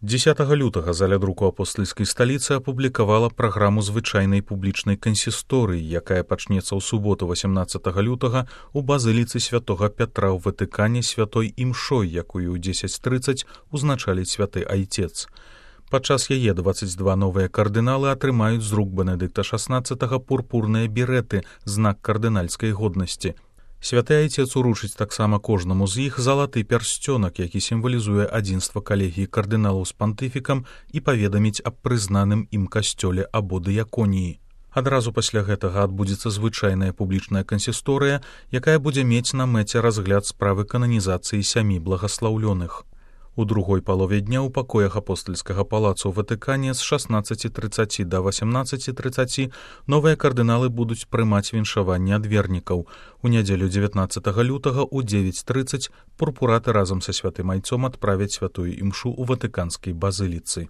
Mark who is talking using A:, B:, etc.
A: 10 лютага заля друку апостальскай сталіцы апублікавала праграму звычайнай публічнай кансісторыі, якая пачнецца ў суботу 18 лютага ў базыліцы святога Пятра ў Ватыкане святой імшой, якую ў 10:30 узначаліць святы айцец. Падчас яе 22 новыя кардыналы атрымаюць з рук Бенедыкта XVI пурпурныя береты, знак кардынальскай годнасці. Святы айцец уручыць таксама кожнаму з іх залаты пярсцёнак, які сімвалізуе адзінства калегіі кардыналаў з пантыфікам і паведаміць аб прызнаным ім касцёле або дыяконіі. Адразу пасля гэтага адбудзецца звычайная публічная кансісторыя, якая будзе мець на мэце разгляд справы кананізацыі 7 благаслаўлёных. У другой палове дня ў пакоях апостальскага палацу ў Ватыкане з 16:30 да 18:30 новыя кардыналы будуць прымаць віншаванне ад вернікаў. У нядзелю 19 лютага ў 9:30 пурпураты разам са святым айцом адправяць святую імшу ў ватыканскай базыліцы.